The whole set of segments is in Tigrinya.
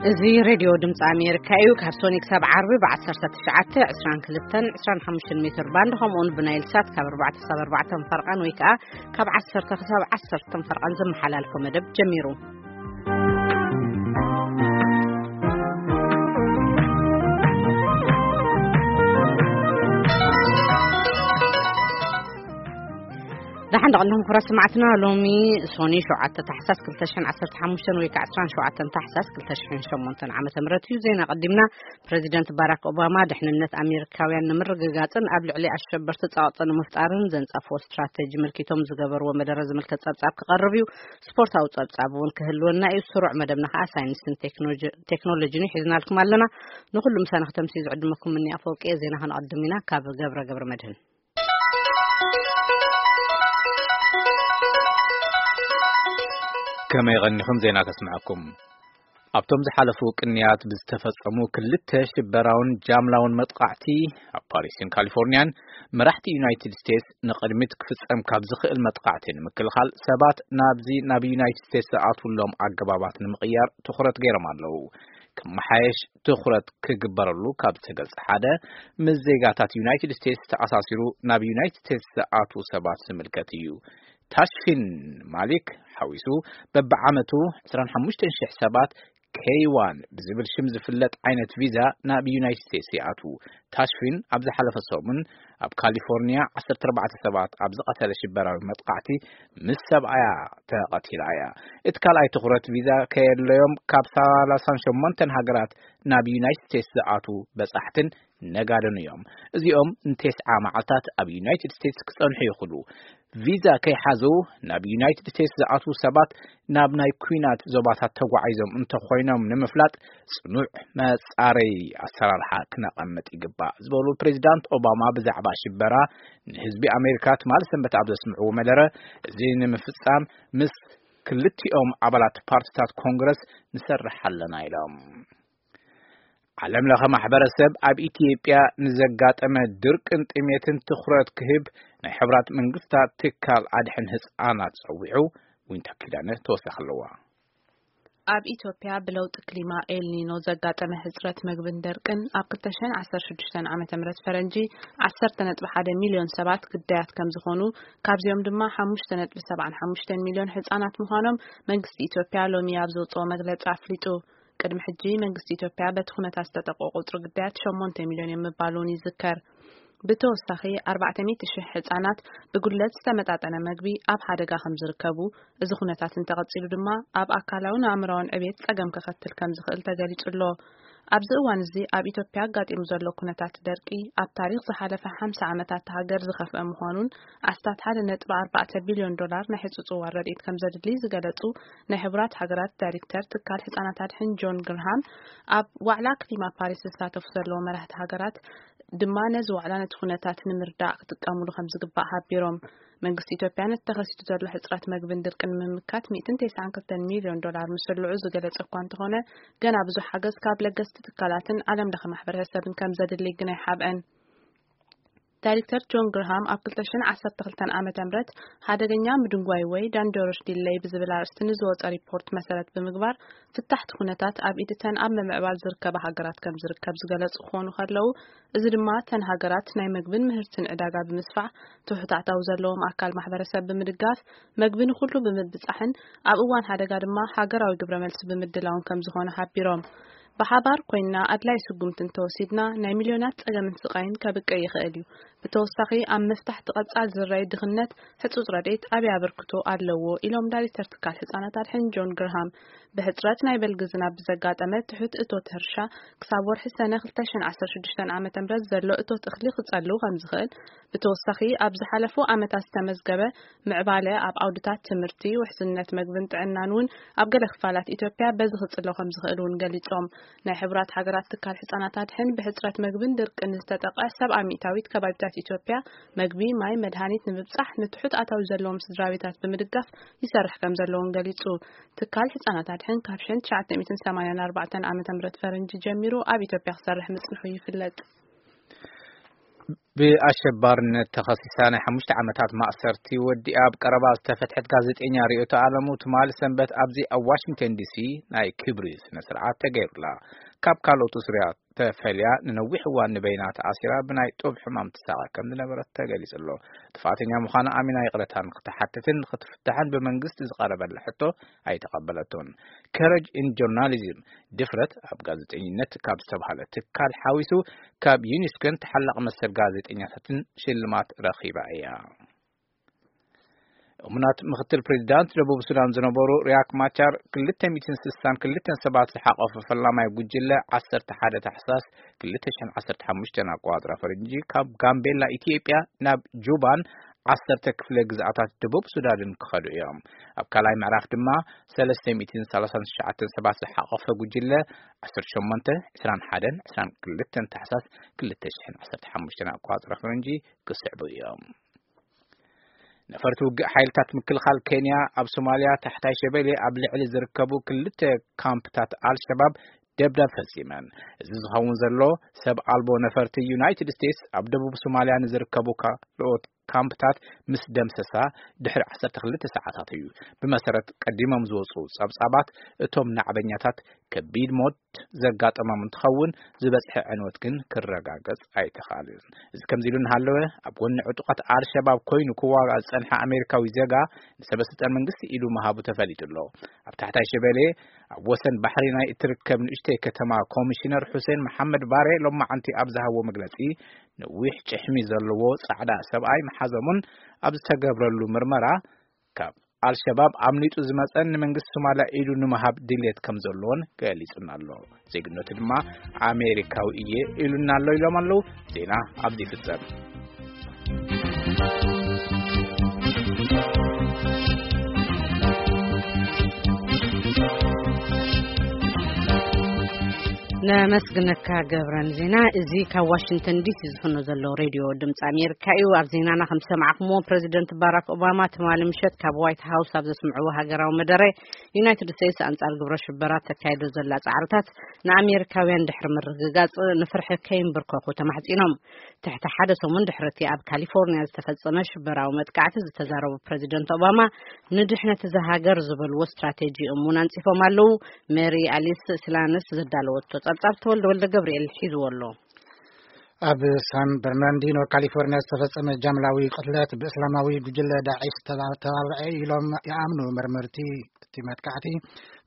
እዚ ሬድዮ ድምፂ ኣሜሪካ እዩ። ካብ ሶኒ ክሳብ ዓርቢ ብ19፣ 22፣ 25 ሜትር ባንድ፣ ከምኡውን ብናይል ሳት ካብ 4 ክሳብ 4 ፈርቓን ወይ ከዓ ካብ 10 ክሳብ 10 ፈርቓን ዝመሓላልፎ መደብ ጀሚሩ። ደሓን ደቐንኹም ክቡራት ሰማዕትና፣ ሎሚ ሶኒ 7 ታሕሳስ 2015 ወይ ከዓ 17 ታሕሳስ 2008 ዓመተ ምህረት እዩ። ዜና ቀዲምና። ፕሬዚደንት ባራክ ኦባማ ድሕንነት ኣሜሪካውያን ንምርግጋጽን ኣብ ልዕሊ ኣሸበርቲ ጸቕጢ ንምፍጣርን ዘንጸፍዎ ስትራተጂ ምልኪቶም ዝገበርዎ መደረ ዝምልከት ጸብጻብ ክቐርብ እዩ። ስፖርታዊ ጸብጻብ እውን ክህልወና እዩ። ስሩዕ መደብና ከዓ ሳይንስን ቴክኖሎጂ-፣ ቴክኖሎጂን ሒዝናልኩም ኣለና። ንኹሉ ምሳና ክተምሲ ዝዕድመኩም ምኒ ኣፈወርቂ እየ። ዜና ከነቐድም ኢና ካብ ገብረ ገብረ መድህን። ከመይ ቀኒኹም? ዜና ከስምዐኩም። ኣብቶም ዝሓለፉ ቅንያት ብዝተፈጸሙ ክልተ ሽበራውን ጃምላውን መጥቃዕቲ ኣብ ፓሪስን ካሊፎርኒያን፣ መራሕቲ ዩናይትድ ስቴትስ ንቕድሚት ክፍጸም ካብ ዝኽእል መጥቃዕቲ ንምክልኻል ሰባት ናብዚ፣ ናብ ዩናይትድ ስቴትስ ዝኣትውሎም ኣገባባት ንምቕያር ትኹረት ገይሮም ኣለዉ። ክመሓየሽ ትኹረት ክግበረሉ ካብ ዝተገልጸ ሓደ፣ ምስ ዜጋታት ዩናይትድ ስቴትስ ተኣሳሲሩ ናብ ዩናይትድ ስቴትስ ዝኣትዉ ሰባት ዝምልከት እዩ። ታሽፊን ማሊክ ሓዊሱ በብዓመቱ 25,000 ሰባት ኬይ ዋን ብዝብል ሽም ዝፍለጥ ዓይነት ቪዛ ናብ ዩናይትድ ስቴትስ ይኣትዉ። ታሽፊን ኣብ ዝሓለፈ ሰሙን ኣብ ካሊፎርኒያ 14 ሰባት ኣብ ዝቐተለ ሽበራዊ መጥቃዕቲ ምስ ሰብኣያ ተቐቲላ እያ። እቲ ካልኣይ ትኹረት ቪዛ ከየድለዮም ካብ 38 ሃገራት ናብ ዩናይትድ ስቴትስ ዝኣትዉ በጻሕትን ነጋድን እዮም። እዚኦም ንቴስዓ መዓልታት ኣብ ዩናይትድ ስቴትስ ክጸንሑ ይኽእሉ። ቪዛ ከይሓዙ ናብ ዩናይትድ ስቴትስ ዝኣትዉ ሰባት ናብ ናይ ኲናት ዞባታት ተጓዒዞም እንተኾይኖም ንምፍላጥ ጽኑዕ መጻረይ ኣሰራርሓ ክነቐምጥ ይግባእ ዝበሉ ፕሬዚዳንት ኦባማ ብዛዕባ ሽበራ ንህዝቢ ኣሜሪካ ትማሊ ሰንበት ኣብ ዘስምዕዎ መደረ፣ እዚ ንምፍጻም ምስ ክልቲኦም ኣባላት ፓርቲታት ኮንግረስ ንሰርሕ ኣለና ኢሎም። ዓለም ለኸ ማሕበረሰብ ኣብ ኢትዮጵያ ንዘጋጠመ ድርቅን ጥሜትን ትኹረት ክህብ ናይ ሕብራት መንግስታት ትካል ኣድሕን ህፃናት ጸዊዑ። ዊንታ ኪዳነ ተወሳኺ ኣለዋ። ኣብ ኢትዮጵያ ብለውጢ ክሊማ ኤልኒኖ ዘጋጠመ ሕጽረት መግብን ደርቅን ኣብ 2016 ዓመተ ምህረት ፈረንጂ 10.1 ሚልዮን ሰባት ግዳያት ከም ዝኾኑ፣ ካብዚኦም ድማ 5.75 ሚልዮን ህጻናት ምዃኖም መንግስቲ ኢትዮጵያ ሎሚ ኣብ ዘውጽኦ መግለጺ ኣፍሊጡ። ቅድሚ ሕጂ መንግስቲ ኢትዮጵያ በቲ ኩነታት ዝተጠቅዑ ቁጽሪ ግዳያት 8 ሚልዮን እዮም ምባሉ እውን ይዝከር። ብተወሳኺ 400,000 ህጻናት ብጉድለት ዝተመጣጠነ መግቢ ኣብ ሓደጋ ከም ዝርከቡ፣ እዚ ኩነታት እንተቐጺሉ ድማ ኣብ ኣካላውን ኣእምራውን ዕብየት ጸገም ከኸትል ከም ዝኽእል ተገሊጹ ኣሎ። ኣብዚ እዋን እዚ ኣብ ኢትዮጵያ ኣጋጢሙ ዘሎ ኩነታት ደርቂ ኣብ ታሪኽ ዝሓለፈ 50 ዓመታት እታ ሃገር ዝኸፍአ ምዃኑን ኣስታት 1.4 ቢልዮን ዶላር ናይ ሕጹጽ እዋን ረድኤት ከም ዘድሊ ዝገለጹ ናይ ሕቡራት ሃገራት ዳይሬክተር ትካል ህጻናት ኣድሕን ጆን ግርሃም፣ ኣብ ዋዕላ ክሊማ ፓሪስ ዝሳተፉ ዘለዉ መራሕቲ ሃገራት ድማ ነዚ ዋዕላ ነቲ ኩነታት ንምርዳእ ክጥቀሙሉ ከም ዝግባእ ሓቢሮም። መንግስቲ ኢትዮጵያ ነቲ ተኸሲቱ ዘሎ ሕጽረት መግብን ድርቅን ንምምካት 192 ሚልዮን ዶላር ምስልዑ ዝገለጸ እኳ እንተኾነ፣ ገና ብዙሕ ሓገዝ ካብ ለገስቲ ትካላትን ዓለም ለኸ ማሕበረሰብን ከም ዘድሊ ግን ኣይሓብአን። ዳይሬክተር ጆን ግርሃም ኣብ 2012 ዓመተ ምህረት ሓደገኛ ምድንጓይ ወይ ዳንጀረስ ዲለይ ብዝብል ኣርእስቲ ንዝወጸ ሪፖርት መሰረት ብምግባር፣ እቲ ታሕቲ ኩነታት ኣብ ኢድ እተን ኣብ ምምዕባል ዝርከባ ሃገራት ከም ዝርከብ ዝገለጹ ክኾኑ ከለዉ፣ እዚ ድማ እተን ሃገራት ናይ መግብን ምህርትን ዕዳጋ ብምስፋሕ፣ ትሑት ኣታዊ ዘለዎም ኣካል ማሕበረሰብ ብምድጋፍ፣ መግቢ ንኹሉ ብምብጻሕን ኣብ እዋን ሓደጋ ድማ ሃገራዊ ግብረ መልሲ ብምድላውን ከም ዝኾነ ሓቢሮም። ብሓባር ኮይንና ኣድላይ ስጉምቲ እንተወሲድና፣ ናይ ሚልዮናት ጸገምን ስቓይን ከብቅዕ ይኽእል እዩ። ብተወሳኺ፣ ኣብ ምፍታሕ እቲ ቀጻል ዝረይ ድኽነት ህጹጽ ረድኤት ዓቢ ኣበርክቶ ኣለዎ ኢሎም ዳይሬክተር ትካል ህጻናት ኣድሕን ጆን ግርሃም። ብሕጽረት ናይ በልጊ ዝናብ ብዘጋጠመ ትሑት እቶት ሕርሻ ክሳብ ወርሒ ሰነ 2016 ዓመተ ምህረት ዘሎ እቶት እኽሊ ክጸሉ ከም ዝኽእል፣ ብተወሳኺ ኣብ ዝሓለፉ ዓመታት ዝተመዝገበ ምዕባለ ኣብ ዓውድታት ትምህርቲ፣ ውሕስነት መግብን ጥዕናን እውን ኣብ ገለ ክፋላት ኢትዮጵያ በዚ ክጽሎ ከም ዝኽእል እውን ገሊጾም። ናይ ሕቡራት ሃገራት ትካል ህጻናት ኣድሕን ብሕጽረት መግብን ድርቅን ዝተጠቕዐ 70% ከባቢታት ኢትዮጵያ መግቢ፣ ማይ፣ መድሃኒት ንምብጻሕ ንትሑት ኣታዊ ዘለዎም ስድራ ቤታት ብምድጋፍ ይሰርሕ ከም ዘለውን ገሊጹ። ትካል ህጻናት ኣድሕን ካብ 1984 ዓመተ ምህረት ፈረንጂ ጀሚሩ ኣብ ኢትዮጵያ ክሰርሕ ምጽንሑ ይፍለጥ። ብኣሸባርነት ተኸሲሳ ናይ ሓሙሽተ ዓመታት ማእሰርቲ ወዲኣ ኣብ ቀረባ ዝተፈትሐት ጋዜጠኛ ርእዮቶ ኣለሙ፣ ትማሊ ሰንበት ኣብዚ ኣብ ዋሽንግተን ዲሲ ናይ ክብሪ ስነ ስርዓት ተገይሩላ። ካብ ካልኦት እስርያ ተፈልያ ንነዊሕ እዋን ንበይና ተኣሲራ ብናይ ጡብ ሕማም ትሳቐ ከም ዝነበረት ተገሊጹ ኣሎ። ጥፋተኛ ምዃና ኣሚና ይቕረታ ንክትሓትትን ንክትፍታሕን ብመንግስቲ ዝቐረበላ ሕቶ ኣይተቐበለቶን። ከረጅ ኢን ጆርናሊዝም፣ ድፍረት ኣብ ጋዜጠኝነት ካብ ዝተባህለ ትካል ሓዊሱ ካብ ዩኒስኮን ተሓላቒ መሰል ጋዜጠኛታትን ሽልማት ረኺባ እያ። እሙናት ምክትል ፕሬዚዳንት ደቡብ ሱዳን ዝነበሩ ሪያክ ማቻር ክልተ ሚእትን ስሳን ክልተን ሰባት ዝሓቆፈ ፈላማይ ጉጅለ ዓሰርተ ሓደ ታሕሳስ ክልተ ሽሕን ዓሰርተ ሓሙሽተን ኣቆጻጽራ ፈረንጂ ካብ ጋምቤላ ኢትዮጵያ ናብ ጁባን ዓሰርተ ክፍለ ግዝኣታት ደቡብ ሱዳንን ክኸዱ እዮም። ኣብ ካልኣይ ምዕራፍ ድማ ሰለስተ ሚእትን ሰላሳን ትሽዓተን ሰባት ዝሓቆፈ ጉጅለ ዓሰርተ ሸሞንተ፣ ዕስራን ሓደን ዕስራን ክልተን ታሕሳስ ክልተ ሽሕን ዓሰርተ ሓሙሽተን ኣቆጻጽራ ፈረንጂ ክስዕቡ እዮም። ነፈርቲ ውግእ ሓይልታት ምክልኻል ኬንያ ኣብ ሶማልያ ታሕታይ ሸበሌ ኣብ ልዕሊ ዝርከቡ ክልተ ካምፕታት ኣልሸባብ ደብዳብ ፈጺመን። እዚ ዝኸውን ዘሎ ሰብ ኣልቦ ነፈርቲ ዩናይትድ ስቴትስ ኣብ ደቡብ ሶማልያ ንዝርከቡ ካልኦት ካምፕታት ምስ ደምሰሳ ድሕሪ ዓሰርተ ክልተ ሰዓታት እዩ። ብመሰረት ቀዲሞም ዝወጹ ጸብጻባት፣ እቶም ናዕበኛታት ከቢድ ሞት ዘጋጠሞም እንትኸውን፣ ዝበጽሐ ዕንወት ግን ክረጋገጽ ኣይተኻእልን። እዚ ከምዚ ኢሉ እናሃለወ፣ ኣብ ጎኒ ዕጡቓት ኣልሸባብ ኮይኑ ክዋጋእ ዝጸንሐ ኣሜሪካዊ ዜጋ ንሰበ ስልጣን መንግስቲ ኢዱ ምሃቡ ተፈሊጡ ኣሎ። ኣብ ታሕታይ ሸበሌ ኣብ ወሰን ባሕሪ ናይ እትርከብ ንእሽተይ ከተማ ኮሚሽነር ሑሴን መሓመድ ባሬ ሎማዓንቲ ኣብ ዝሃቦ መግለጺ፣ ነዊሕ ጭሕሚ ዘለዎ ጻዕዳ ሰብኣይ መሓዞሙን ኣብ ዝተገብረሉ ምርመራ ካብ ኣልሸባብ ኣምሊጡ ዝመጸን ንመንግስቲ ሶማልያ ኢዱ ንምሃብ ድልየት ከም ዘለዎን ገሊጹና ኣሎ። ዜግነቱ ድማ ኣሜሪካዊ እየ ኢሉና ኣሎ ኢሎም ኣለዉ። ዜና ኣብዚ ይፍጸም። ነመስግነካ ገብረን ዜና። እዚ ካብ ዋሽንግተን ዲሲ ዝፍኖ ዘሎ ሬድዮ ድምፂ ኣሜሪካ እዩ። ኣብ ዜናና ከም ዝሰማዕኩምዎ፣ ፕሬዚደንት ባራክ ኦባማ ትማሊ ምሸት ካብ ዋይት ሃውስ ኣብ ዘስምዕዎ ሃገራዊ መደረ፣ ዩናይትድ ስቴትስ ኣንጻር ግብረ ሽበራ ተካይዶ ዘላ ጻዕርታት ንኣሜሪካውያን ድሕሪ ምርግጋጽ ንፍርሒ ከይንብርከኹ ተማሕጺኖም። ትሕቲ ሓደ ሰሙን ድሕሪ እቲ ኣብ ካሊፎርኒያ ዝተፈጸመ ሽበራዊ መጥቃዕቲ ዝተዛረቡ ፕሬዚደንት ኦባማ፣ ንድሕነት እዛ ሃገር ዝበልዎ ስትራቴጂ እሙን ኣንጺፎም ኣለዉ። ሜሪ ኣሊስ ስላንስ ዘዳለወቶ ጸብጻብ ተወልደ ወልደ ገብርኤል ሒዝዎ ኣሎ። ኣብ ሳን በርናንዲኖ ካሊፎርኒያ ዝተፈጸመ ጃምላዊ ቅትለት ብእስላማዊ ጉጅለ ዳዒሽ ተባ-፣ ተባብዐ ኢሎም ይኣምኑ መርመርቲ እቲ መጥቃዕቲ።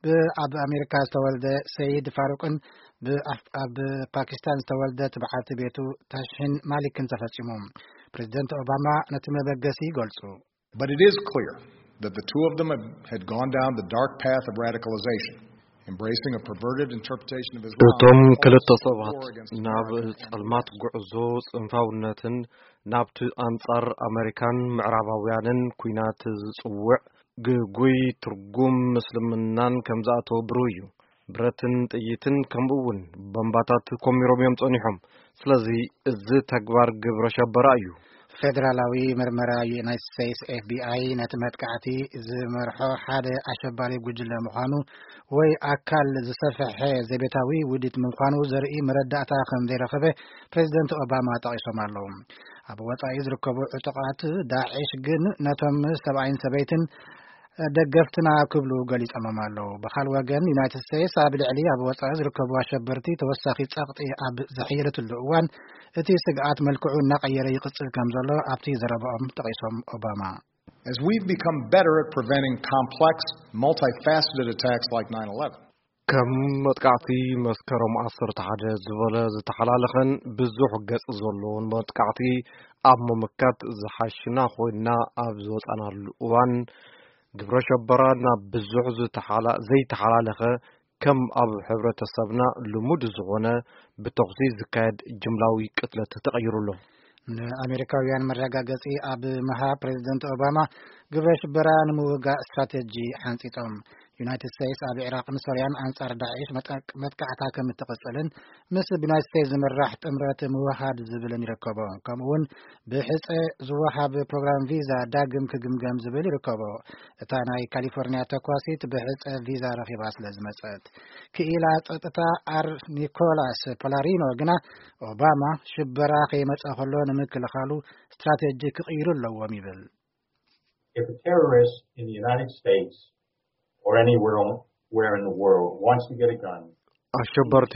ብ-፣ ኣብ ኣሜሪካ ዝተወልደ ሰይድ ፋሩቅን ብ-፣ ኣብ ፓኪስታን ዝተወልደ ትብዓቲ ቤቱ ታሽሂን ማሊክን ተፈጺሙ። ፕሬዚደንት ኦባማ ነቲ መበገሲ ይገልጹ። But it is clear that the two of them had, had gone down the dark path of radicalization, embracing a perverted interpretation of Islam, እቶም ክልተ ሰባት ናብ ጸልማት ጉዕዞ ጽንፋውነትን ናብቲ ኣንጻር ኣመሪካን ምዕራባውያንን ኲናት ዝጽውዕ ግጉይ ትርጉም ምስልምናን ከም ዝኣተወ ብሩህ እዩ። ብረትን ጥይትን ከምኡ እውን ቦምባታት ኮሚሮም እዮም ጸኒሖም። ስለዚ እዚ ተግባር ግብረ ሸበራ እዩ። ፌደራላዊ ምርመራ ዩናይትድ ስቴትስ ኤፍ ቢ ኣይ ነቲ መጥቃዕቲ ዝመርሖ ሓደ ኣሸባሪ ጉጅለ ምዃኑ ወይ ኣካል ዝሰፍሐ ዘቤታዊ ውዲት ምዃኑ ዘርኢ መረዳእታ ከም ዘይረኸበ ፕሬዚደንት ኦባማ ጠቒሶም ኣለዉ። ኣብ ወጻኢ ዝርከቡ ዕጡቓት ዳዒሽ ግን ነቶም ሰብኣይን ሰበይትን ደገፍትና ክብሉ ገሊጾሞም ኣለዉ። ብኻል ወገን ዩናይትድ ስቴትስ ኣብ ልዕሊ ኣብ ወጻኢ ዝርከቡ ኣሸበርቲ ተወሳኺ ጸቕጢ ኣብ ዘሕየለትሉ እዋን እቲ ስግኣት መልክዑ እናቐየረ ይቕጽል ከም ዘሎ ኣብቲ ዘረባኦም ጠቒሶም ኦባማ። As we've become better at preventing complex, multifaceted attacks like nine eleven, ከም መጥቃዕቲ መስከረም ዓሰርተ ሓደ ዝበለ ዝተሓላለኸን ብዙሕ ገጽ ዘለዎን መጥቃዕቲ ኣብ ምምካት ዝሓሽና ኮይንና ኣብ ዝወጻናሉ እዋን፣ ግብረ ሸበራ ናብ ብዙሕ ዝተሓላ-፣ ዘይተሓላለኸ፣ ከም ኣብ ሕብረተሰብና ልሙድ ዝኾነ ብተኹሲ ዝካየድ ጅምላዊ ቅትለት ተቐይሩ ኣሎ። ንኣሜሪካውያን መረጋገጺ ኣብ ምሃብ ፕሬዚደንት ኦባማ ግብረ ሽበራ ንምውጋእ ስትራቴጂ ሓንጺጾም። ዩናይትድ ስቴትስ ኣብ ኢራቕን ሶርያን ኣንጻር ዳዒሽ መጥቃ-፣ መጥቃዕታ ከም እትቕጽልን ምስ ብዩናይትድ ስቴትስ ዝምራሕ ጥምረት ምውሃድ ዝብልን ይርከቦ። ከምኡ እውን ብሕጸ ዝወሃብ ፕሮግራም ቪዛ ዳግም ክግምገም ዝብል ይርከቦ። እታ ናይ ካሊፎርኒያ ተኳሲት ብሕጸ ቪዛ ረኺባ ስለ ዝመጸት። ክኢላ ጸጥታ ኣር ኒኮላስ ፓላሪኖ ግና ኦባማ ሽበራ ከይመጸ ከሎ ንምክልኻሉ ስትራቴጂ ክቕይሩ ኣለዎም ይብል። If a terrorist in the United States or anywhere on- where in the world wants to get a gun, ኣሸበርቲ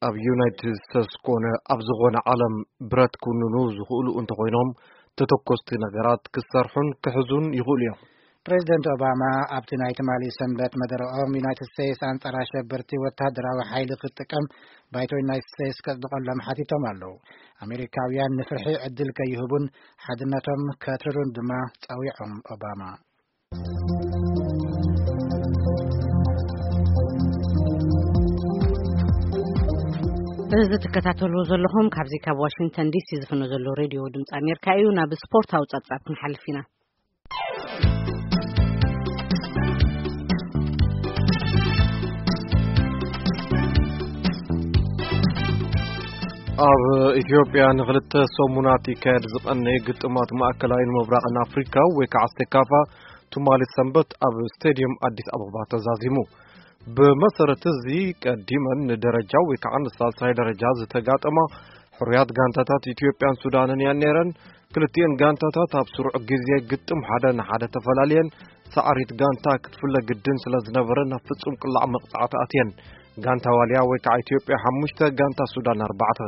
ኣብ ዩናይትድ ስቴትስ ኮነ ኣብ ዝኾነ ዓለም ብረት ክውንኑ ዝኽእሉ እንተኾይኖም፣ ተተኮስቲ ነገራት ክሰርሑን ክሕዙን ይኽእሉ እዮም። ፕሬዚደንት ኦባማ ኣብቲ ናይ ትማሊ ሰንበት መደረኦም፣ ዩናይትድ ስቴትስ ኣንጻር ኣሸበርቲ ወታደራዊ ሓይሊ ክትጥቀም ባይቶ ዩናይትድ ስቴትስ ከጽድቐሎም ሓቲቶም ኣለዉ። ኣሜሪካውያን ንፍርሒ ዕድል ከይህቡን ሓድነቶም ከትርሩን ድማ ጸዊዖም ኦባማ። እዚ ትከታተልዎ ዘለኹም ካብዚ ካብ ዋሽንግተን ዲሲ ዝፍኖ ዘሎ ሬድዮ ድምፂ ኣሜሪካ እዩ። ናብ ስፖርታዊ ጸብጻብ ክንሓልፍ ኢና። ኣብ ኢትዮጵያ ንኽልተ ሰሙናት ይካየድ ዝቐነየ ግጥማት ማእከላይን ምብራቕን ኣፍሪካ ወይ ከዓ ሴካፋ ትማሊ ሰንበት ኣብ ስቴድየም ኣዲስ ኣበባ ተዛዚሙ። ብመሰረት እዚ ቀዲመን ንደረጃ ወይ ከዓ ንሳልሳይ ደረጃ ዝተጋጠማ ሕሩያት ጋንታታት ኢትዮጵያን ሱዳንን እየን ነይረን። ክልቲኤን ጋንታታት ኣብ ስሩዕ ግዜ ግጥም ሓደ ንሓደ ተፈላልየን ሳዕሪት ጋንታ ክትፍለ ግድን ስለ ዝነበረ ናብ ፍጹም ቅላዕ መቕጻዕቲ ኣትየን። ጋንታ ዋልያ ወይ ከዓ ኢትዮጵያ ሓሙሽተ፣ ጋንታ ሱዳን ኣርባዕተ።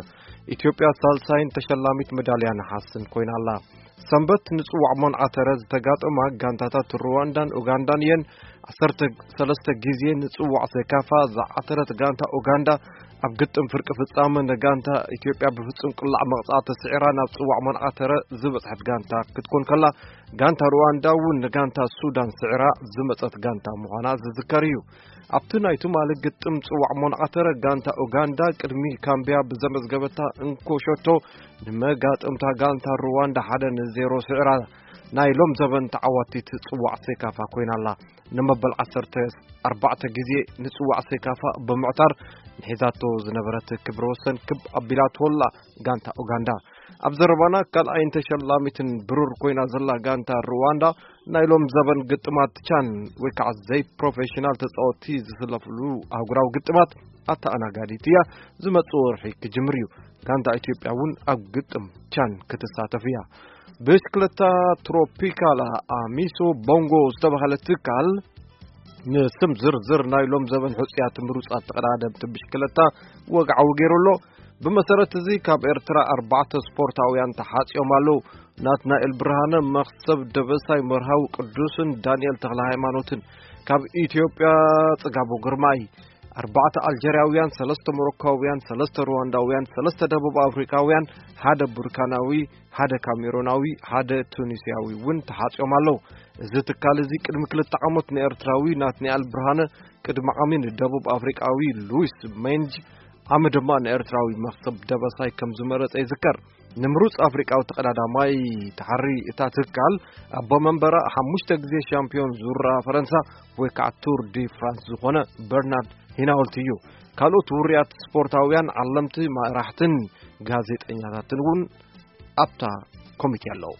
ኢትዮጵያ ሳልሳይን ተሸላሚት መዳልያ ነሓስን ኮይና ኣላ። ሰንበት ንጽዋዕ ሞንዓተረ ዝተጋጠማ ጋንታታት ሩዋንዳን ኡጋንዳን እየን። ዓሰርተ ሰለስተ ግዜ ንጽዋዕ ሴካፋ ዝዓተረት ጋንታ ኡጋንዳ ኣብ ግጥም ፍርቂ ፍጻመ ንጋንታ ኢትዮጵያ ብፍጹም ቅላዕ መቕጻዕቲ ስዒራ ናብ ጽዋዕ ሞንዓተረ ዝበጽሐት ጋንታ ክትኮን ከላ፣ ጋንታ ሩዋንዳ እውን ንጋንታ ሱዳን ስዒራ ዝመጸት ጋንታ ምዃና ዝዝከር እዩ። ኣብቲ ናይ ትማሊ ግጥም ጽዋዕ ሞንዓተረ ጋንታ ኡጋንዳ ቅድሚ ካምቢያ ብዘመዝገበታ እንኮ ሸቶ ንመጋጥምታ ጋንታ ሩዋንዳ ሓደ ንዜሮ ስዒራ ናይ ሎም ዘበን ተዓዋቲት ጽዋዕ ሴካፋ ኮይና ኣላ። ንመበል ዓሰርተ ኣርባዕተ ግዜ ንጽዋዕ ሴካፋ ብምዕታር ንሒዛቶ ዝነበረት ክብረ ወሰን ክብ ኣቢላቶ ኣላ ጋንታ ኡጋንዳ። ኣብ ዘረባና ካልኣይን ተሸላሚትን ብሩር ኮይና ዘላ ጋንታ ሩዋንዳ ናይ ሎም ዘበን ግጥማት ቻን ወይ ከዓ ዘይ ፕሮፌሽናል ተጻወትቲ ዝስለፍሉ ኣህጉራዊ ግጥማት ኣተኣናጋዲት እያ። ዝመጽእ ወርሒ ክጅምር እዩ። ጋንታ ኢትዮጵያ እውን ኣብ ግጥም ቻን ክትሳተፍ እያ። ብሽክለታ ትሮፒካላ ኣሚሶ ቦንጎ ዝተባህለ ትካል ንስም ዝርዝር ናይ ሎም ዘበን ሕጹያት ምሩጻት ተቐዳደምቲ ብሽክለታ ወግዓዊ ገይሩ ኣሎ። ብመሰረት እዚ ካብ ኤርትራ ኣርባዕተ ስፖርታውያን ተሓጽዮም ኣለዉ። ናትናኤል ብርሃነ፣ መኽሰብ ደበሳይ፣ መርሃዊ ቅዱስን ዳንኤል ተኽለ ሃይማኖትን። ካብ ኢትዮጵያ ጽጋቡ ግርማይ። ኣርባዕተ ኣልጀርያውያን፣ ሰለስተ ሞሮኮውያን፣ ሰለስተ ሩዋንዳውያን፣ ሰለስተ ደቡብ ኣፍሪካውያን፣ ሓደ ቡርካናዊ፣ ሓደ ካሜሮናዊ፣ ሓደ ቱኒስያዊ እውን ተሓጽዮም ኣለዉ። እዚ ትካል እዚ ቅድሚ ክልተ ዓመት ንኤርትራዊ ናትናኤል ብርሃነ፣ ቅድሚ ዓሚ ንደቡብ ኣፍሪቃዊ ሉዊስ ሜንጅ፣ ዓሚ ድማ ንኤርትራዊ መኽሰብ ደበሳይ ከም ዝመረጸ ይዝከር። ንምሩጽ ኣፍሪቃዊ ተቐዳዳማይ ተሓሪ እታ ትካል፣ ኣቦ መንበራ ሓሙሽተ ግዜ ሻምፒዮን ዙራ ፈረንሳ ወይ ከዓ ቱር ዲ ፍራንስ ዝኾነ በርናርድ ሂናውልት እዩ። ካልኦት ውርያት ስፖርታውያን፣ ዓለምቲ፣ መራሕትን ጋዜጠኛታትን እውን ኣብታ ኮሚቴ ኣለዉ።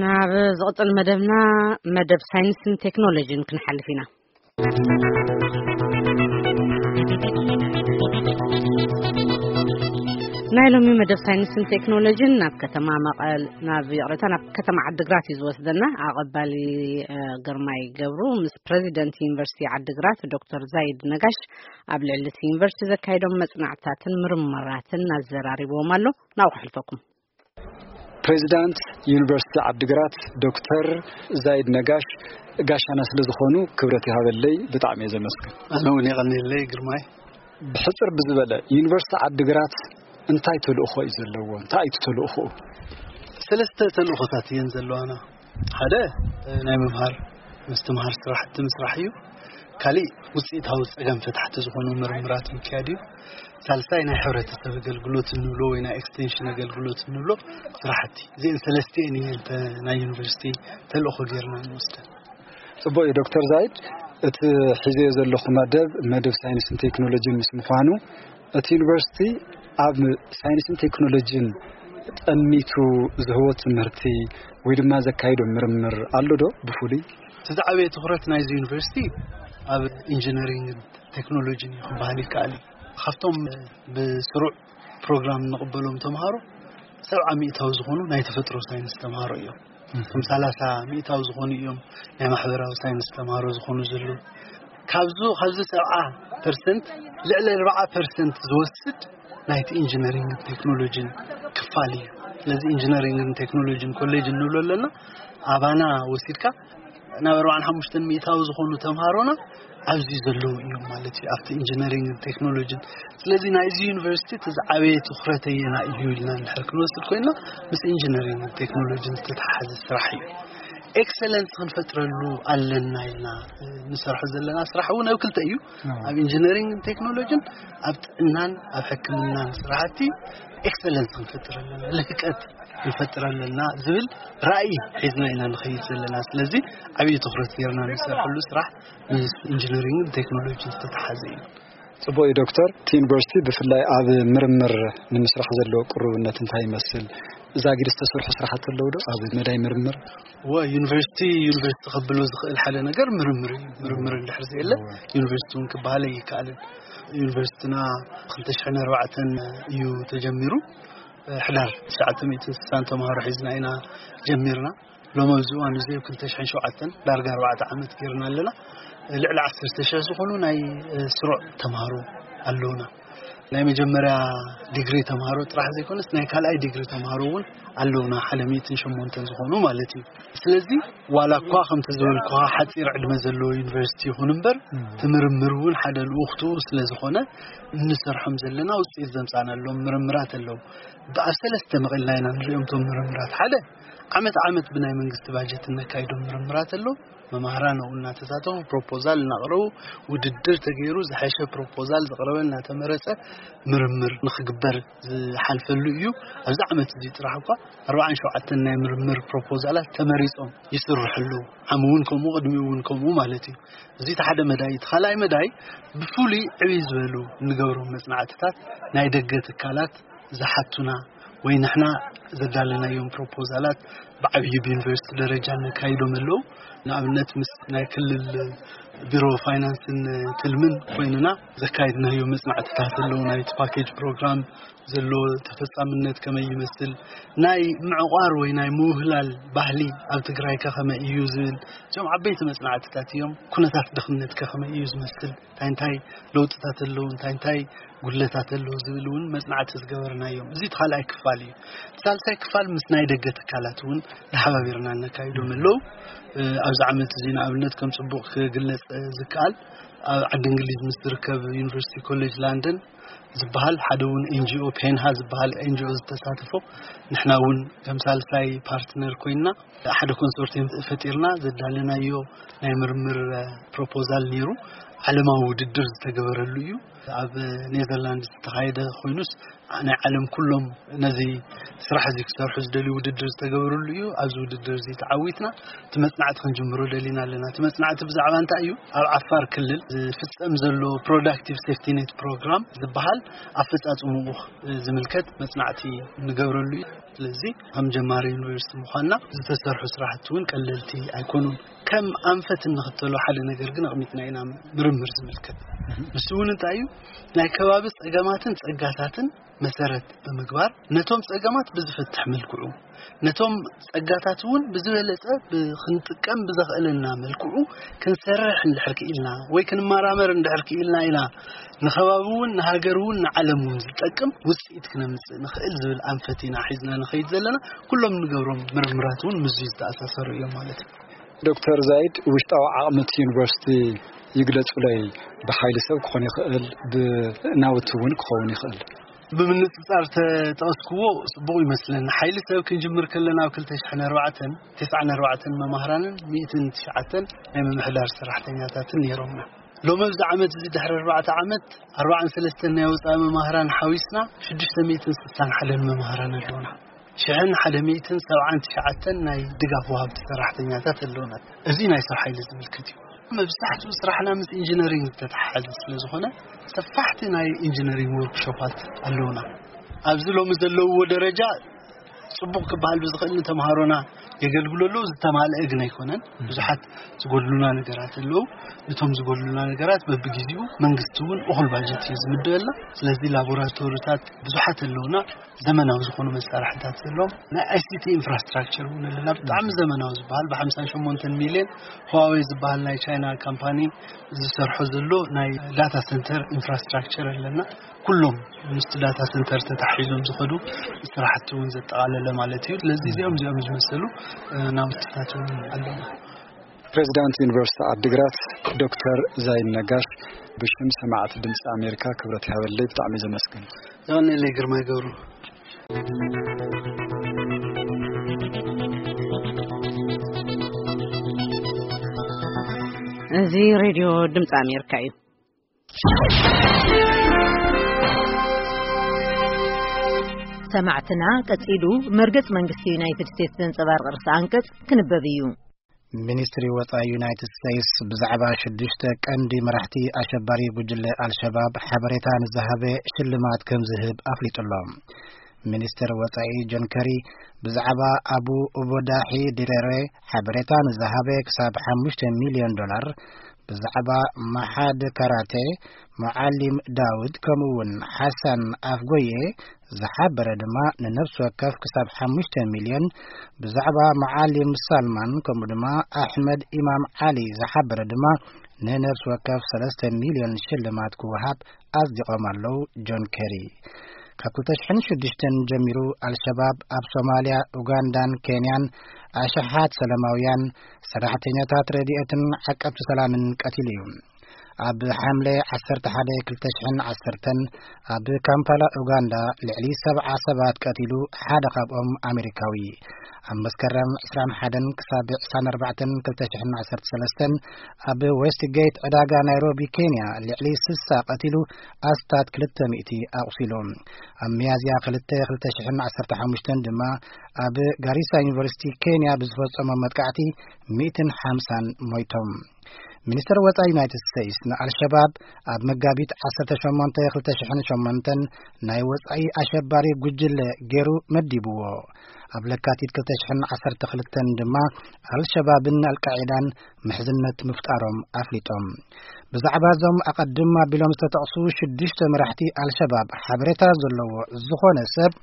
ናብ ዝቕጽል መደብና፣ መደብ ሳይንስን ቴክኖሎጂን ክንሓልፍ ኢና። ናይ ሎሚ መደብ ሳይንስን ቴክኖሎጂን ናብ ከተማ መቐል፣ ናብ፣ ይቕሬታ፣ ናብ ከተማ ዓድግራት እዩ ዝወስደና። ኣቐባሊ፣ እ፣ ግርማይ ገብሩ ምስ ፕሬዚደንት ዩኒቨርሲቲ ዓድግራት ዶክተር ዛይድ ነጋሽ ኣብ ልዕሊ እቲ ዩኒቨርሲቲ ዘካየዶም መጽናዕትታትን ምርምራትን ኣዘራሪብዎም ኣሎ። ናብኡ ክሕልፈኩም። ፕሬዚዳንት ዩኒቨርሲቲ ዓድግራት ዶክተር ዛይድ ነጋሽ፣ ጋሻና ስለ ዝኾኑ ክብረት ይሃበለይ፣ ብጣዕሚ እየ ዘመስግን። ኣነ እውን የቐንየለይ ግርማይ። ብሕጽር ብዝበለ፣ ዩኒቨርሲቲ ዓድግራት እንታይ ተልእኾ እዩ ዘለዎ? እንታይ እዩ እቲ ተልእኾኡ? ሰለስተ ተልእኾታት እየን ዘለዋና። ሓደ፣ ናይ ምምሃር ምስትምሃር ስራሕቲ ምስራሕ እዩ። ካሊእ ውፅኢታዊ ፀገም ፈታሕቲ ዝኾኑ ምርምራት ምክያድ እዩ። ሳልሳይ ናይ ሕብረተሰብ ኣገልግሎት እንብሎ ወይ ናይ ኤክስቴንሽን ኣገልግሎት እንብሎ ስራሕቲ፣ እዚአን ሰለስቲአን እየን ናይ ዩኒቨርሲቲ ተልእኾ ጌርና ንወስደን። ፅቡቅ እዩ ዶክተር ዛይድ፣ እቲ ሒዘዮ ዘለኹ መደብ መደብ ሳይንስን ቴክኖሎጂን ምስ ምዃኑ እቲ ዩኒቨርሲቲ ኣብ ሳይንስን ቴክኖሎጂን ጠሚቱ ዝህቦ ትምህርቲ ወይ ድማ ዘካይዶ ምርምር ኣሎ ዶ? ብፍሉይ እቲ ዝዓበየ ትኩረት ናይዚ ዩኒቨርሲቲ ኣብ ኢንጂነሪንግን ቴክኖሎጂን እዩ ክበሃል ይከኣል እዩ። ካብቶም ብስሩዕ ፕሮግራም ንቕበሎም ተምሃሮ ሰብዓ ሚእታዊ ዝኾኑ ናይ ተፈጥሮ ሳይንስ ተምሃሮ እዮም። ከም ሰላሳ ሚእታዊ ዝኾኑ እዮም ናይ ማሕበራዊ ሳይንስ ተምሃሮ ዝኾኑ ዘለዉ። ካብዚ ካብዚ ሰብዓ ፐርሰንት ልዕሊ ኣርባዓ ፐርሰንት ዝወስድ ናይቲ ኢንጂነሪንግ ቴክኖሎጂን ክፋል እዩ። ስለዚ ኢንጂነሪንግን ቴክኖሎጂን ኮሌጅ እንብሎ ኣለና ኣባና ወሲድካ ናብ ኣርባዓን ሓሙሽተን ሚእታዊ ዝኾኑ ተምሃሮና ኣብዚ ዘለዉ እዮም ማለት እዩ ኣብቲ ኢንጂነሪንግ ቴክኖሎጂን። ስለዚ ናይዚ ዩኒቨርሲቲ እቲ ዝዓበየ ትኩረት ኣየና እዩ ኢልና እንድሕር ክንወስድ ኮይና ምስ ኢንጂነሪንግ ቴክኖሎጂን ዝተተሓሓዘ ስራሕ እዩ። ኤክሰለንስ ክንፈጥረሉ ኣለና ኢልና ንሰርሖ ዘለና ስራሕ እውን ኣብ ክልተ እዩ። ኣብ ኢንጂነሪንግ ቴክኖሎጂን ኣብ ጥዕናን ኣብ ሕክምናን ስራሕቲ ኤክሰለንስ ክንፈጥር ኣለና፣ ልህቀት ክንፈጥር ኣለና ዝብል ራእይ ሒዝና ኢና ንኸይድ ዘለና። ስለዚ ዓብዪ ትኩረት ጌርና ንሰርሐሉ ስራሕ ምስ ኢንጂነሪንግን ቴክኖሎጂን ዝተተሓዘ እዩ። ፅቡቅ እዩ ዶክተር። እቲ ዩኒቨርሲቲ ብፍላይ ኣብ ምርምር ንምስራሕ ዘለዎ ቅሩብነት እንታይ ይመስል? እዛ ጊድ ዝተሰርሑ ስራሕቲ ኣለዉ ዶ ኣብ መዳይ ምርምር? ወ ዩኒቨርሲቲ ዩኒቨርሲቲ ከብሎ ዝኽእል ሓደ ነገር ምርምር እዩ። ምርምር እንድሕር ዘየለ ዩኒቨርሲቲ እውን ክበሃል ኣይከኣልን። ዩኒቨርሲቲና ክልተ ሽሕን ኣርባዕተን እዩ ተጀሚሩ። ሕዳር ትሽዓተ ሚእትን ስሳን ተምሃሮ ሒዝና ኢና ጀሚርና። ሎም ኣብዚ እዋን እዚ ኣብ ክልተ ሽሕን ሸውዓተን ዳርጋ ኣርባዕተ ዓመት ጌርና ኣለና። ልዕሊ ዓሰርተ ሽሕ ዝኾኑ ናይ ስሩዕ ተምሃሮ ኣለውና። ናይ መጀመርያ ዲግሪ ተምሃሮ ጥራሕ ዘይኮነስ ናይ ካልኣይ ዲግሪ ተምሃሮ እውን ኣለውና፣ ሓደ ሚእትን ሸሞንተን ዝኾኑ ማለት እዩ። ስለዚ ዋላ እኳ ከምቲ ዝበልኩኻ ሓፂር ዕድመ ዘለዎ ዩኒቨርሲቲ ይኹን እምበር ትምርምር እውን ሓደ ልኡኽቱ ስለ ዝኾነ እንሰርሖም ዘለና ውፅኢት ዘምፃናሎም ምርምራት ኣለዉ። ብኣብ ሰለስተ መቒልና ኢና ንሪኦም እቶም ምርምራት። ሓደ ዓመት ዓመት ብናይ መንግስቲ ባጀት እነካይዶም ምርምራት ኣለዉ። መማህራን ኣብኡ እናተሳተፉ ፕሮፖዛል እናቕረቡ ውድድር ተገይሩ ዝሓሸ ፕሮፖዛል ዝቕረበ እናተመረፀ ምርምር ንክግበር ዝሓልፈሉ እዩ። ኣብዚ ዓመት እዚ ጥራሕ እኳ ኣርባዓን ሸውዓተን ናይ ምርምር ፕሮፖዛላት ተመሪፆም ይስርሑ ኣለዉ። ዓሚ እውን ከምኡ ቅድሚኡ እውን ከምኡ ማለት እዩ። እዚ እቲ ሓደ መዳይ። እቲ ካልኣይ መዳይ ብፍሉይ ዕብይ ዝበሉ እንገብሮም መፅናዕትታት ናይ ደገ ትካላት ዝሓቱና ወይ ንሕና ዘዳለናዮም ፕሮፖዛላት ብዓብዪ ብዩኒቨርሲቲ ደረጃ ነካይዶም ኣለዉ። ንኣብነት ምስ ናይ ክልል ቢሮ ፋይናንስን ትልምን ኮይንና ዘካይድናዮ መፅናዕትታት ኣለዉ። ናይቲ ፓኬጅ ፕሮግራም ዘሎ ተፈፃምነት ከመይ ይመስል፣ ናይ ምዕቋር ወይ ናይ ምውህላል ባህሊ ኣብ ትግራይ ከ ከመይ እዩ ዝብል እዚኦም ዓበይቲ መፅናዕትታት እዮም። ኩነታት ድኽነት ከ ከመይ እዩ ዝመስል፣ እንታይ እንታይ ለውጥታት ኣለዉ፣ እንታይ እንታይ ጉድለታት ኣለዉ ዝብል እውን መፅናዕቲ ዝገበርናዮም። እዚ እቲ ካልኣይ ክፋል እዩ። እቲ ሳልሳይ ክፋል ምስ ናይ ደገ ትካላት እውን ተሓባቢርና እነካይዶም ኣለዉ። ኣብዚ ዓመት እዚ ንኣብነት ከም ፅቡቕ ክግለፅ ዝከኣል ኣብ ዓዲ እንግሊዝ ምስ ዝርከብ ዩኒቨርሲቲ ኮሌጅ ላንደን ዝበሃል ሓደ እውን ኤንጂኦ ፔንሃ ዝበሃል ኤንጂኦ ዝተሳተፎ ንሕና እውን ከም ሳልሳይ ፓርትነር ኮይንና ሓደ ኮንሶርቲየም ፈጢርና ዘዳለናዮ ናይ ምርምር ፕሮፖዛል ነይሩ። ዓለማዊ ውድድር ዝተገበረሉ እዩ። ኣብ ኔዘርላንድ ዝተኻየደ ኮይኑስ ናይ ዓለም ኩሎም ነዚ ስራሕ እዚ ክሰርሑ ዝደልዩ ውድድር ዝተገበረሉ እዩ። ኣብዚ ውድድር እዚ ተዓዊትና እቲ መፅናዕቲ ክንጅምሮ ደሊና ኣለና። እቲ መፅናዕቲ ብዛዕባ እንታይ እዩ? ኣብ ዓፋር ክልል ዝፍፀም ዘሎ ፕሮዳክቲቭ ሴፍቲ ኔት ፕሮግራም ዝበሃል ኣፈፃፅምኡ ዝምልከት መፅናዕቲ ንገብረሉ እዩ። ስለዚ ከም ጀማሪ ዩኒቨርሲቲ ምዃንና ዝተሰርሑ ስራሕቲ እውን ቀለልቲ ኣይኮኑን። ከም ኣንፈት እንኽተሎ ሓደ ነገር ግን ኣቕሚጥና ኢና፣ ምርምር ዝምልከት። ንሱ እውን እንታይ እዩ? ናይ ከባቢ ፀገማትን ፀጋታትን መሰረት ብምግባር ነቶም ፀገማት ብዝፈትሕ መልክዑ ነቶም ፀጋታት እውን ብዝበለፀ ክንጥቀም ብዘኽእለና መልክዑ ክንሰርሕ እንድሕር ክኢልና ወይ ክንመራመር እንድሕር ክኢልና ኢና ንኸባቢ እውን ንሃገር እውን ንዓለም እውን ዝጠቅም ውፅኢት ክነምፅእ ንኽእል ዝብል ኣንፈት ኢና ሒዝና ንኸይድ ዘለና። ኩሎም ንገብሮም ምርምራት እውን ምስዚ ዝተኣሳሰሩ እዮም ማለት እዩ። ዶክተር ዛይድ፣ ውሽጣዊ ዓቕሚ እቲ ዩኒቨርሲቲ ይግለጹለይ። ብሓይሊ ሰብ ክኾን ይኽእል፣ ብናውቲ እውን ክኸውን ይኽእል። ብምንጽጻር ተጠቐስክዎ ጽቡቕ ይመስለኒ። ሓይሊ ሰብ ክንጅምር ከለና ኣብ ክልተ ሽሕን ኣርባዕተን፣ ተስዓን ኣርባዕተን መማህራንን ሚእትን ትሽዓተን ናይ ምምሕዳር ሰራሕተኛታትን ነይሮምና። ሎሚ ኣብዚ ዓመት እዚ ድሕሪ ኣርባዕተ ዓመት ኣርባዓን ሰለስተን ናይ ወፃኢ መማህራን ሓዊስና ሽዱሽተ ሚእትን ስሳን ሓደን መማህራን ኣለውና። ሽሕን ሓደ ሚእትን ሰብዓን ትሽዓተን ናይ ድጋፍ ወሃብቲ ሰራሕተኛታት ኣለውና። እዚ ናይ ሰብ ሓይሊ ዝምልከት እዩ። መብዛሕትኡ ስራሕና ምስ ኢንጂነሪንግ ዝተተሓሓዘ ስለ ዝኾነ ሰፋሕቲ ናይ ኢንጂነሪንግ ወርክሾፓት ኣለውና። ኣብዚ ሎሚ ዘለውዎ ደረጃ ጽቡቕ ክበሃል ብዝኽእል ንተምሃሮና የገልግሉ ኣለዉ። ዝተማልአ ግን ኣይኮነን። ብዙሓት ዝጎድሉና ነገራት ኣለዉ። ነቶም ዝጎድሉና ነገራት በብግዜኡ መንግስቲ እውን እኹል ባጀት እዩ ዝምደበልና። ስለዚ ላቦራቶሪታት ብዙሓት ኣለዉና። ዘመናዊ ዝኾኑ መሳርሕታት ዘለዎም ናይ ኣይሲቲ ኢንፍራስትራክቸር እውን ኣለና። ብጣዕሚ ዘመናዊ ዝበሃል ብ ሓምሳን ሸሞንተን ሚልዮን፣ ሁዋዌ ዝበሃል ናይ ቻይና ካምፓኒ ዝሰርሖ ዘሎ ናይ ዳታ ሰንተር ኢንፍራስትራክቸር ኣለና። ኩሎም ምስቲ ዳታ ሰንተር ተታሒዞም ዝኸዱ ስራሕቲ እውን ዘጠቓለለ ማለት እዩ። ስለዚ እዚኦም እዚኦም ዝመሰሉ ናውትታት እውን ኣለና። ፕሬዚዳንት ዩኒቨርሲቲ ዓዲግራት ዶክተር ዛይን ነጋሽ፣ ብሽም ሰማዕቲ ድምፂ ኣሜሪካ ክብረት ይሃበለይ። ብጣዕሚ ዘመስግን። የቐንየለይ ግርማይ ገብሩ። እዚ ሬድዮ ድምፂ ኣሜሪካ እዩ። ሰማዕትና፣ ቀጺሉ መርገጽ መንግስቲ ዩናይትድ ስቴትስ ዘንጸባርቕ ርእሰ ኣንቀጽ ክንበብ እዩ። ሚኒስትሪ ወጻኢ ዩናይትድ ስቴትስ ብዛዕባ ሽዱሽተ ቀንዲ መራሕቲ ኣሸባሪ ጉጅለ ኣልሸባብ ሓበሬታ ንዝሃበ ሽልማት ከም ዝህብ ኣፍሊጡ ኣሎ። ሚኒስትር ወጻኢ ጆን ከሪ ብዛዕባ ኣቡ ኡበዳሒ ዲሬሬ ሓበሬታ ንዝሃበ ክሳብ ሓሙሽተ ሚልዮን ዶላር፣ ብዛዕባ መሓድ ካራቴ ሙዓሊም ዳውድ ከምኡ እውን ሓሳን ኣፍጎየ ዝሓበረ ድማ ንነፍሲ ወከፍ ክሳብ ሓሙሽተ ሚልዮን፣ ብዛዕባ መዓሊም ሳልማን ከምኡ ድማ ኣሕመድ ኢማም ዓሊ ዝሓበረ ድማ ንነፍሲ ወከፍ ሰለስተ ሚልዮን ሽልማት ክወሃብ ኣጽዲቖም ኣለዉ። ጆን ኬሪ ካብ ክልተ ሽሕን ሽዱሽተን ጀሚሩ ኣልሸባብ ኣብ ሶማልያ፣ ኡጋንዳን ኬንያን ኣሽሓት ሰላማውያን ሰራሕተኛታት ረድኤትን ዓቀብቲ ሰላምን ቀቲሉ እዩ። ኣብ ሓምለ ዓሰርተ ሓደ ክልተ ሽሕን ዓሰርተን ኣብ ካምፓላ ኡጋንዳ ልዕሊ ሰብዓ ሰባት ቀቲሉ፣ ሓደ ካብኦም ኣሜሪካዊ። ኣብ መስከረም ዕስራን ሓደን ክሳብ ዕስራን ኣርባዕተን ክልተ ሽሕን ዓሰርተ ሰለስተን ኣብ ዌስትጌት ዕዳጋ ናይሮቢ ኬንያ ልዕሊ ስሳ ቀቲሉ፣ ኣስታት ክልተ ሚእቲ ኣቑሲሉ። ኣብ ሚያዝያ ክልተ ክልተ ሽሕን ዓሰርተ ሓሙሽተን ድማ ኣብ ጋሪሳ ዩኒቨርሲቲ ኬንያ ብዝፈጸሞ መጥቃዕቲ ሚእትን ሓምሳን ሞይቶም። ሚኒስተር ወጻኢ ዩናይትድ ስቴትስ ንኣልሸባብ ኣብ መጋቢት ዓሰርተ ሸሞንተ ክልተ ሽሕን ሸሞንተን ናይ ወጻኢ ኣሸባሪ ጉጅለ ገይሩ መዲብዎ። ኣብ ለካቲት ክልተ ሽሕን ዓሰርተ ክልተን ድማ ኣልሸባብን ኣልቃዒዳን ምሕዝነት ምፍጣሮም ኣፍሊጦም። ብዛዕባ እዞም ኣቐድም ኣቢሎም ዝተጠቕሱ ሽዱሽተ መራሕቲ ኣልሸባብ ሓበሬታ ዘለዎ ዝኾነ ሰብ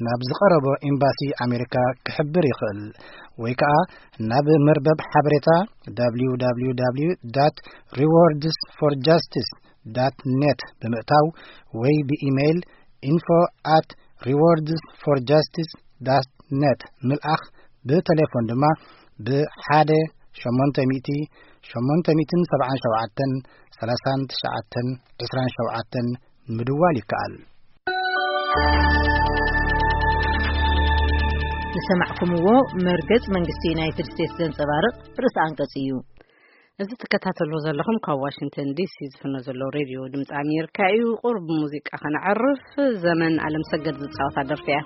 ናብ ዝቐረቦ ኤምባሲ ኣሜሪካ ክሕብር ይኽእል፣ ወይ ከኣ ናብ መርበብ ሓበሬታ www rewards for justice net ብምእታው ወይ ብኢሜይል info at rewards for justice net ምልኣኽ፣ ብቴሌፎን ድማ ብ ሓደ ሸሞንተ ሚእቲ ሸሞንተ ሚእትን ሰብዓን ሸውዓተን ሰላሳን ትሽዓተን ዕስራን ሸውዓተን ምድዋል ይከኣል። ዝሰማዕኩምዎ መርገጽ መንግስቲ ዩናይትድ ስቴትስ ዘንጸባርቕ ርእሰ ኣንቀጽ እዩ። እዚ ትከታተልዎ ዘለኹም ካብ ዋሽንግተን ዲሲ ዝፍኖ ዘሎ ሬድዮ ድምፂ ኣሜሪካ እዩ። ቁሩብ ሙዚቃ ከነዕርፍ፣ ዘመን ኣለምሰገድ ዝፃወታ ደርፊ እያ።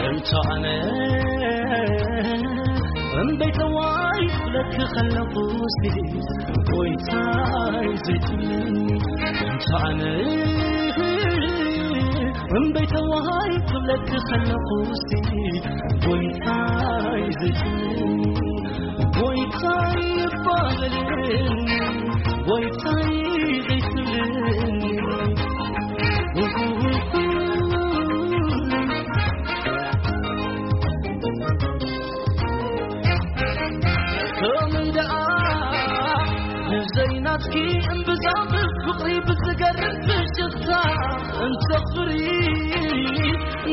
እንተ ኣነ እምበይተዋይ ክብለኪ ከለኹ፣ ጎይታይ ዘይትብልኒ። እንተ ኣነ እምበይተዋይ ክብለኪ ከለኹ፣ ጎይታይ ዘይትብልኒ። ጎይታይ ይባበለኒ፣ ጎይታይ ዘይትብልኒ። ከም ደኣ ንዘይናትኪ እምብዛ ብፍቕሪ ብዝገርም ፍሽኽታ እንተኽብሪ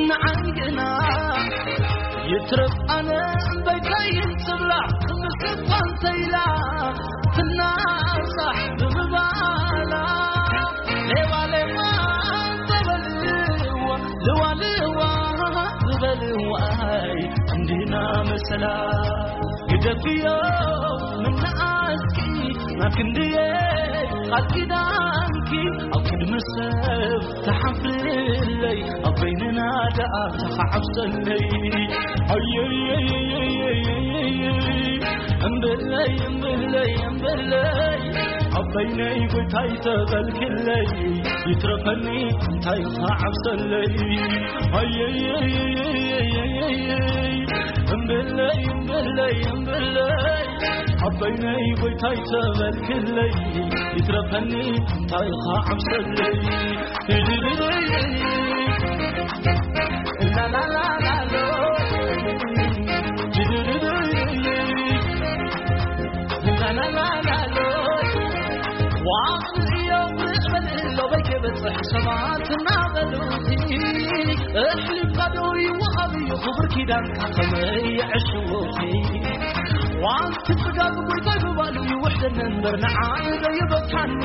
ንዓይ ግና ይትረፍ ኣነ እምበይተይን ትብላ ምስኳ እንተኢላ ትናሳሕ ብምባላ ሌዋ ሌዋ ተበልዋ ልዋ ልዋ ዝበልዋይ እንዲና መሰ ግደፍዮ ምንዓስኪ ናብ ክንድየ ቃል ኪዳንኪ ኣብ ቅድሚ ሰብ ተሓፍርለይ ኣብ በይንና ደኣ ተሓብሰለይ ኣየየየየየየየ እምበለይ እምበለይ እምበለይ ኣብ በይነይ ጎይታይ ተበልክለይ ይትረፈኒ እንታይ ተዓብሰለይ ኣየየየየየየ እምበለይ እምበለይ እምበለይ ኣብ በይነይ ጎይታይ ተበልክለይ ይትረፈኒ እንታይ ተዓብሰለይ ሰባት እናበሉቲ እሕሊፍካ ዶ ይወሃብ እዩ ክቡር ኪዳንካ ከመይ የዕሽዎቲ ዋንቲ ጽጋብ ጎይታይ ብባሉ ይውሕደኒ እምበር ንዓይ ዶ ይበካኒ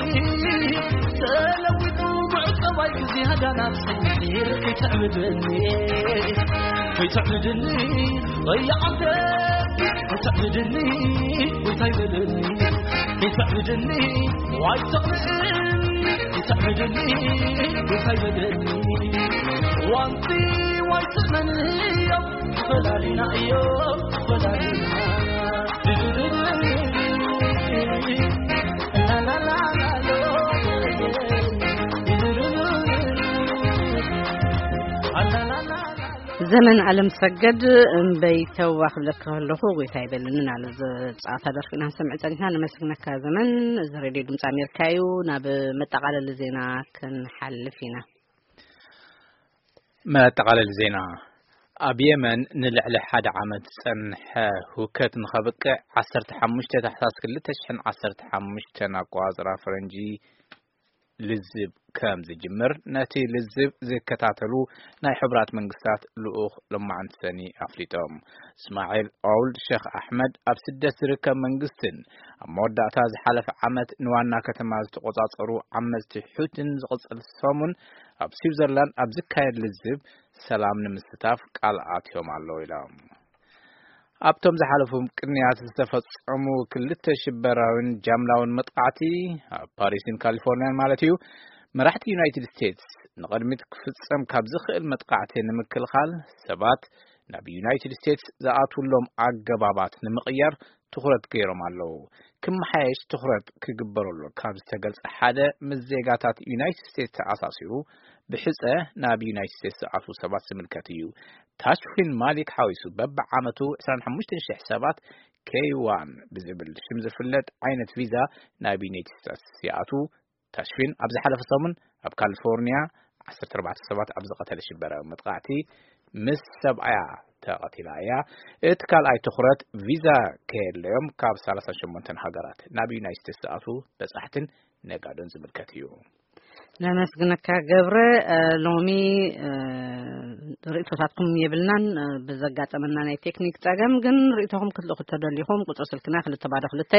ተለዊጡ ምዕቀባይ ብዝያዳ ናብ ሰይር ከይተዕብደኒ ከይተዕብደኒ ወያ ዓብደ ከይተዕብደኒ ጎይታይ በለኒ ከይተዕብደኒ ዋይ ተቕልእኒ ከይተዕብደኒ ጎይታይ በለኒ ዋንቲ ዋይ ትእመኒ እዮም ፈላሊና እዮም ፈላሊና ዘመን ኣለም ሰገድ እምበይተዋ ክብለካ ከለኹ ጎይታ ይበልንን ኣለ ዝፃወታ ደርፊ ኢና ንሰምዕ ፀኒሕና። ነመስግነካ ዘመን። እዚ ሬድዮ ድምፂ ኣሜሪካ እዩ። ናብ መጠቓለሊ ዜና ክንሓልፍ ኢና። መጠቓለሊ ዜና። ኣብ የመን ንልዕሊ ሓደ ዓመት ዝጸንሐ ሁከት ንኸብቅዕ ዓሰርተ ሓሙሽተ ታሕሳስ ክልተ ሽሕን ዓሰርተ ሓሙሽተን ኣቆጻጽራ ፈረንጂ ልዝብ ከም ዝጅምር ነቲ ልዝብ ዝከታተሉ ናይ ሕቡራት መንግስታት ልኡኽ ሎማዕንቲ ሰኒ ኣፍሊጦም። እስማዒል ኦውልድ ሸኽ ኣሕመድ ኣብ ስደት ዝርከብ መንግስትን ኣብ መወዳእታ ዝሓለፈ ዓመት ንዋና ከተማ ዝተቆጻጸሩ ዓመጽቲ ሑትን ዝቕጽል ሰሙን ኣብ ስዊዘርላንድ ኣብ ዝካየድ ልዝብ ሰላም ንምስታፍ ቃል ኣትዮም ኣለዉ ኢሎም። ኣብቶም ዝሓለፉ ቅንያት ዝተፈጸሙ ክልተ ሽበራዊን ጃምላውን መጥቃዕቲ ኣብ ፓሪስን ካሊፎርኒያን ማለት እዩ፣ መራሕቲ ዩናይትድ ስቴትስ ንቕድሚት ክፍጸም ካብ ዝኽእል መጥቃዕቲ ንምክልኻል ሰባት ናብ ዩናይትድ ስቴትስ ዝኣትውሎም ኣገባባት ንምቕያር ትኹረት ገይሮም ኣለዉ። ክመሓየሽ ትኹረት ክግበረሉ ካብ ዝተገልጸ ሓደ ምስ ዜጋታት ዩናይትድ ስቴትስ ተኣሳሲሩ ብሕጸ ናብ ዩናይትድ ስቴትስ ዝኣትዉ ሰባት ዝምልከት እዩ። ታሽፊን ማሊክ ሓዊሱ በብዓመቱ ዕስራን ሓሙሽተን ሽሕ ሰባት ኬይ ዋን ብዝብል ሽም ዝፍለጥ ዓይነት ቪዛ ናብ ዩናይትድ ስቴትስ ይኣትዉ። ታሽፊን ኣብ ዝሓለፈ ሰሙን ኣብ ካሊፎርኒያ ዓሰርተ ኣርባዕተ ሰባት ኣብ ዝቐተለ ሽበራዊ መጥቃዕቲ ምስ ሰብኣያ ተቐቲላ እያ። እቲ ካልኣይ ትኹረት ቪዛ ከየድለዮም ካብ ሰላሳን ሸሞንተን ሃገራት ናብ ዩናይትድ ስቴትስ ዝኣትዉ በጻሕትን ነጋዶን ዝምልከት እዩ። ነመስግነካ ገብረ። እ፣ ሎሚ፣ እ፣ ርእቶታትኩም የብልናን፣ እ፣ ብዘጋጠመና ናይ ቴክኒክ ጸገም ግን ርእቶኹም ክትልእኹ ተደሊኹም ቁጽሪ ስልክና ክልተ ባዶ ክልተ፣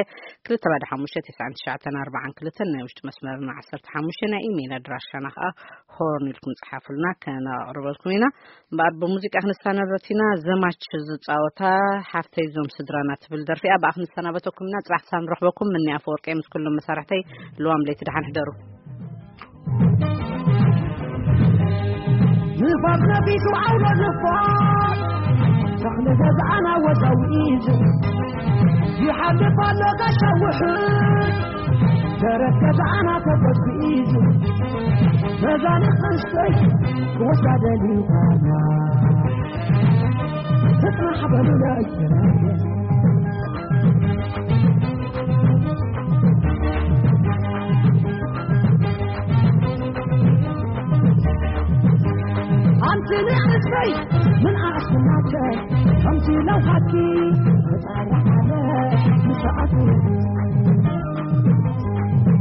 ክልተ ባዶ ሓሙሽተ፣ ትስዓን ትሽዓተን ኣርባዓን ክልተን ናይ ውሽጢ መስመርና ዓሰርተ ሓሙሽተ ናይ ኢሜይል ኣድራሻና ከኣ ሆርን ኢልኩም ጽሓፉልና ከነቕርበልኩም ኢና። እምበኣር ብሙዚቃ ክንሰናበት ኢና። ዘማች ዝጻወታ ሓፍተይ ዞም ስድራና ትብል ደርፊ እያ። ብኣ ክንሰናበተኩም ኢና። ጽባሕ ክሳብ ንረኽበኩም ምኒ ኣፈወርቂ ምስ ኩሎም መሳርሕተይ ልዋም ለይቲ ደሓን ሕደሩ። ንፋስ ነፊሱ ዓውሎ ንፋስ ተኽሊ ገዛና ወዛዊዙ ይሓልፍ ኣሎ ጋሻ ውሕድ ደረት ገዛና ተጎዝጉዙ ነዛ ንእሽተይ ክወስዳ ደሊኻና ትጽናሕ በሉለይ ኣንቲ ንእሽተይ ምን ኣስናተ ከምቲ ለውሃቲ ተጣራሓለ ምሰኣቱ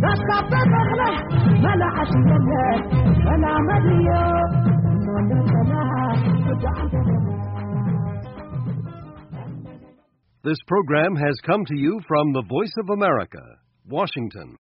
ዳስካበ ተኽለ መላዓሽ የለ መላመድዮ ሞለተላ This program has come to you from the Voice of America, Washington.